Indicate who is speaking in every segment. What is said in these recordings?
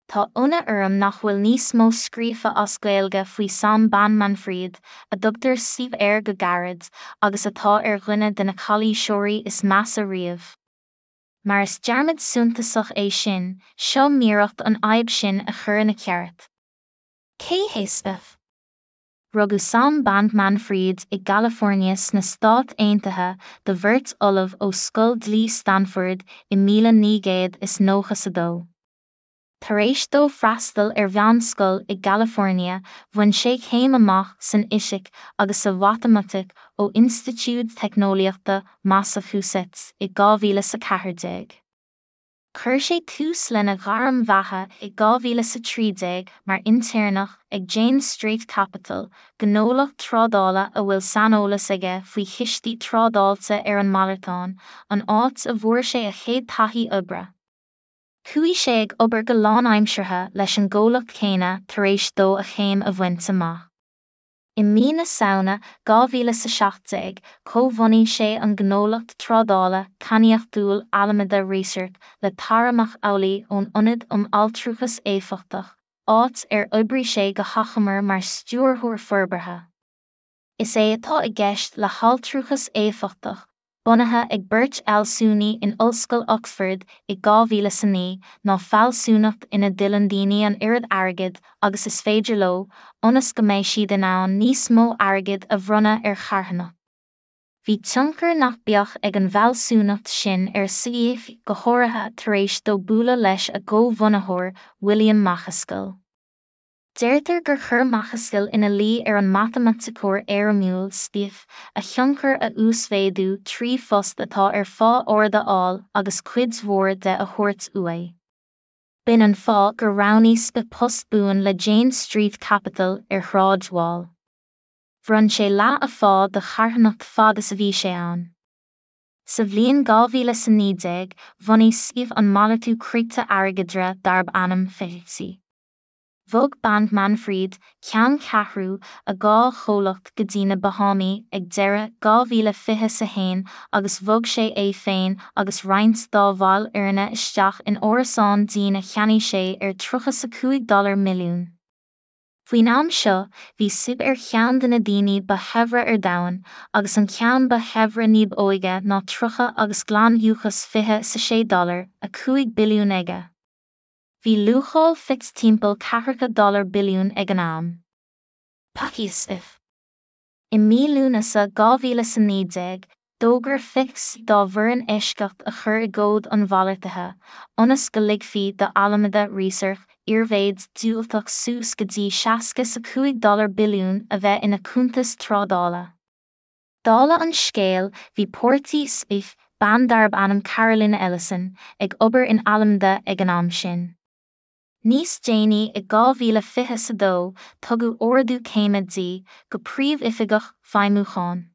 Speaker 1: Tá ionadh orm nach bhfuil níos mó scríofa as Gaeilge faoi Sam Bankman-Fried, a dtugtar SBF air go gairid, agus atá ar dhuine de na calaoiseoirí is measa riamh. Mar is dearmad suntasach é sin, seo m'iarracht an fhadhb sin a chur ina ceart. Cé hé SBF? Rugadh Sam Bankman-Fried i gCalifornia sna Stáit Aontaithe do bheirt ollamh ó Scoil Dlí Stanford i 1992. Tar éis dó freastal ar mheánscoil i gCalifornia, bhain sé céim amach san fhisic agus sa mhatamaitic ó Institiúid Teicneolaíochta Massachusetts i 2014. Chuir sé tús lena ghairm bheatha i 2013 mar intéirneach ag Jane Street Capital, gnólacht trádála a bhfuil saineolas aige faoi chistí trádáilte ar an malartán, an áit a bhfuair sé a chéad taithí oibre. Chuaigh sé ag obair go lánaimseartha leis an gcomhlacht céanna tar éis dó a chéim a bhaint amach. I mí na Samhna 2017, chomhbhunaigh sé an gnólacht trádála cainníochtúil Alameda Research le Tara McAuley ón Ionad um Altrúchas Éifeachtach, áit ar oibrigh sé go hachomair mar stiúrthóir forbartha. Is é atá i gceist le haltrúchas éifeachtach, bunaithe ag beirt fhealsúnaí in Ollscoil Oxford i 2009, ná fealsúnacht ina dtuilleann daoine an oiread airgid agus is féidir leo, ionas go mbeidh siad in ann níos mó airgid a bhronnadh ar charthanacht. Bhí tionchar nach beag ag an bhfealsúnacht sin ar SBF, go háirithe tar éis dó bualadh leis a gcomhbhunaitheoir, William Macaskill. Deirtear gur chuir Macaskill ina luí ar an matamaiticeoir éirimiúil SBF a thionchar a uasmhéadú trí phost atá ar phá ard a fháil agus cuid mhór de a thabhairt uaidh. B'in an fáth gur roghnaigh SBF post buan le Jane Street Capital ar Shráid Wall. Bhronn sé leath a phá do charthanacht fad is a bhí sé ann. Sa bhliain 2019, bhunaigh SBF an malartú criptea-airgeadra darb ainm FTX. Bhog Bankman-Fried ceanncheathrú a dhá chomhlacht go dtí na Bahámaí ag deireadh 2021 agus bhog sé é féin agus roinnt dá bhaill fhoirne isteach in árasán dín a cheannaigh sé ar $35 dollar milliún. Faoin am seo, bhí SBF ar cheann de na daoine ba shaibhre ar domhan, agus an ceann ba shaibhre níb óige ná 30 agus glanfhiúchas $26 dollar, 5 billiún aige. Bhí luacháil FTX timpeall ceathracha dollar billiún ag an am. FTX. I mí Lúnasa 2019, d'fhógair FTX dá bhfoireann eisceacht a chur i gcód an mhalartaithe, ionas go ligfí do Alameda Research iarmhéid diúltach suas go dtí 65 dollar billiún a bheith ina cuntas trádála. Dála an scéil, bhí páirtí SBF, bean darb ainm Caroline Ellison, ag obair in Alameda ag an am sin. Níos déanaí i 2022, tugadh ardú céime di, go Príomhoifigeach Feidhmiúcháin.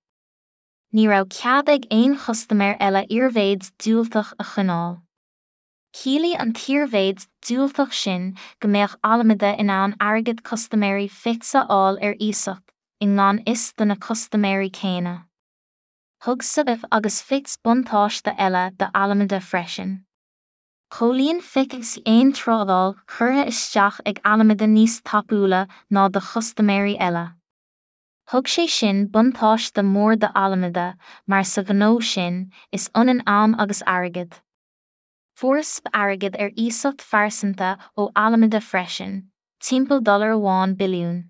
Speaker 1: Ní raibh cead ag aon chustaiméir eile iarmhéid diúltach a choinneáil. Chiallaigh an t-iarmhéid diúltach sin go mbeadh Alameda in ann airgead custaiméirí FTX a fháil ar iasacht, i ngan fhios do na custaiméirí céanna. Thug SBF agus FTX buntáiste eile do Alameda freisin. Chomhlíon FTX aon trádáil curtha isteach ag Alameda níos tapúla ná do chustaiméirí eile. Thug sé sin buntáiste mór do Alameda mar sa ghnó sin, is ionann am agus airgead. Fuair SBF airgead ar iasacht phearsanta ó Alameda freisin, timpeall dollar amháin billiún.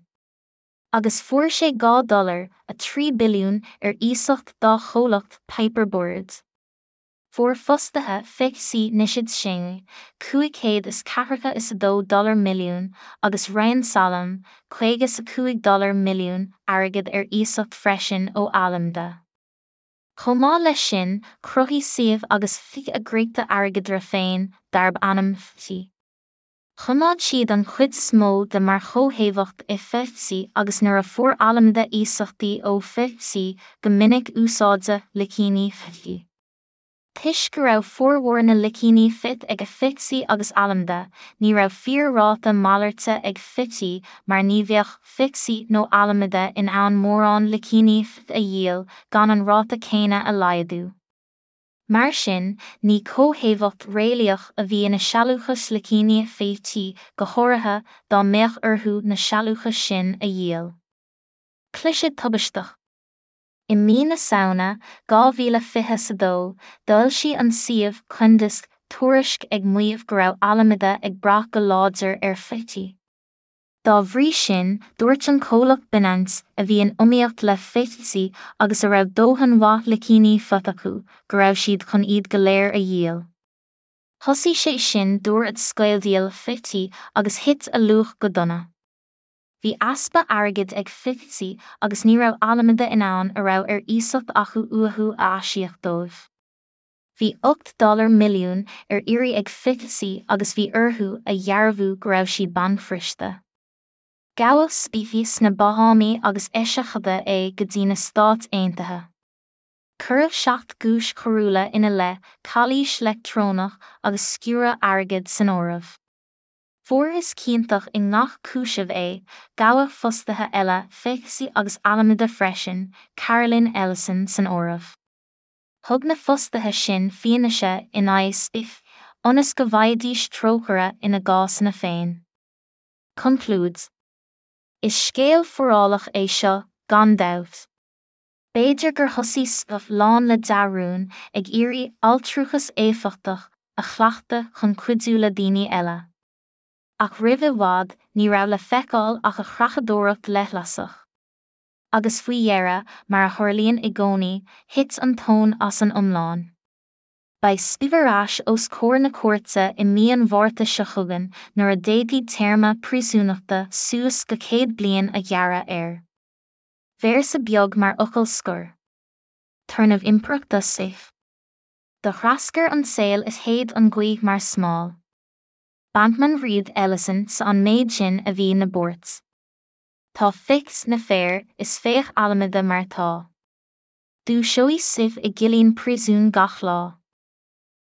Speaker 1: Agus fuair sé 2 dollar, 3 billiún ar iasacht dá chomhlacht Paper Bird. Fuair fostaithe FTX Nishad Singh, 542 dollar milliún, agus Ryan Salame, 55 dollar milliún, airgead ar iasacht freisin ó Alameda. Chomh maith leis sin, chruthaigh SBF agus FTX a gcriptea-airgeadra féin, darb ainm FTT. Choimeád siad an chuid is mó de mar chomhthaobhacht i FTX agus nuair a fuair Alameda iasachtaí ó FTX go minic úsáideadh licíní FTX. Toisc go raibh formhór na licíní FTT ag FTX agus Alameda, ní raibh fíor-ráta malairte ag FTT mar ní bheadh FTX nó Alameda in ann mórán licíní FTT a dhíol gan an ráta céanna a laghdú. Mar sin, ní comhthaobhacht réalaíoch a bhí ina sealúchas slicíní FT, go háirithe dá mbeadh orthu na sealúchais sin a dhíol. Cliseadh tubaisteach. I mí na Samhna 2022, d'fhoilsigh an suíomh Coindesk tuairisc ag maíomh go raibh Alameda ag brath go láidir ar FT. Dá bhrí sin, dúirt an comhlacht Binance, a bhí in iomaíocht le FTC agus a raibh dóthain mhaith slicíní FT acu, go raibh siad chun iad go léir a dhíol. Thosaigh sé sin dúrud scaoldíol FT agus thit a luach go dona. Bhí easpa airgid ag FTC agus ní raibh Alameda in ann a raibh ar iasacht acu uathu a aisíoc dóibh. Bhí 8 dollar milliún ar iarraidh ag FTC agus bhí orthu a dhearbhú go raibh siad bancbhriste. Gabhadh Spivey sna Bahámaí agus eiseachadadh é go dtí na Stáit Aontaithe. Cuireadh 7 gcúis choiriúla ina leith, calaois leictreonach agus sciúradh airgid san áireamh. Fuarthas ciontach i ngach cúiseamh é, gabhadh fostaithe eile FTC agus Alameda freisin, Caroline Ellison san áireamh. Thug na fostaithe sin fianaise in aghaidh Spivey ionas go bhfaighidís trócaire ina gcásanna féin. Conclúid. Is scéal forálach é seo, gan dabht. B'fhéidir gur thosaigh Spivey lán le dea-rún, ag iarraidh altrúchas éifeachtach a chleachtadh chun cuidiú le daoine eile. Ach roimh i bhfad, ní raibh le feiceáil ach a chreachadóireacht leithleasach. Agus faoi dheireadh, mar a tharlaíonn i gcónaí, thit an tóin as an iomlán. Beidh Spivey ar ais os comhair na cúirte i mí an Mhárta seo chugainn nuair a d'fhéadfaí téarma príosúnachta suas go 100 bliain a ghearradh air. Véarsa beag mar fhocal scoir. Turnamh impireachta Spivey. Do threascair an saol is shéid an ghaoth mar smál. Bankman-Fried Ellison 's an méid sin a bhí 'na buairt. Tá FTX 'na féar is féach Alameda mar tá. Dúiseoidh sibh i gcillín príosúin gach lá.